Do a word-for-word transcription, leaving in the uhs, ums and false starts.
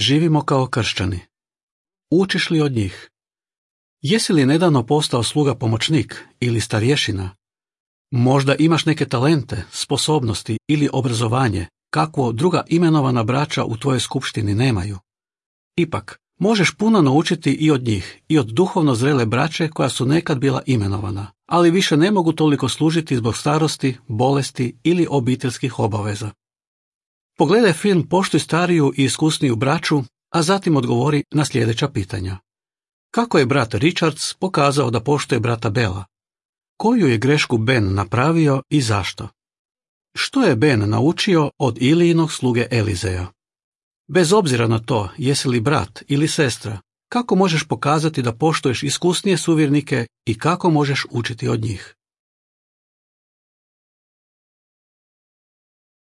Živimo kao kršćani. Učiš li od njih? Jesi li nedavno postao sluga pomoćnik ili starješina? Možda imaš neke talente, sposobnosti ili obrazovanje, kakvo druga imenovana braća u tvojoj skupštini nemaju. Ipak, možeš puno naučiti i od njih, i od duhovno zrele braće koja su nekad bila imenovana, ali više ne mogu toliko služiti zbog starosti, bolesti ili obiteljskih obaveza. Pogledaj film Poštuj stariju i iskusniju braću, a zatim odgovori na sljedeća pitanja. Kako je brat Richards pokazao da poštuje brata Bela? Koju je grešku Ben napravio i zašto? Što je Ben naučio od Ilijinog sluge Elizeja? Bez obzira na to jesi li brat ili sestra, kako možeš pokazati da poštuješ iskusnije suvjernike i kako možeš učiti od njih?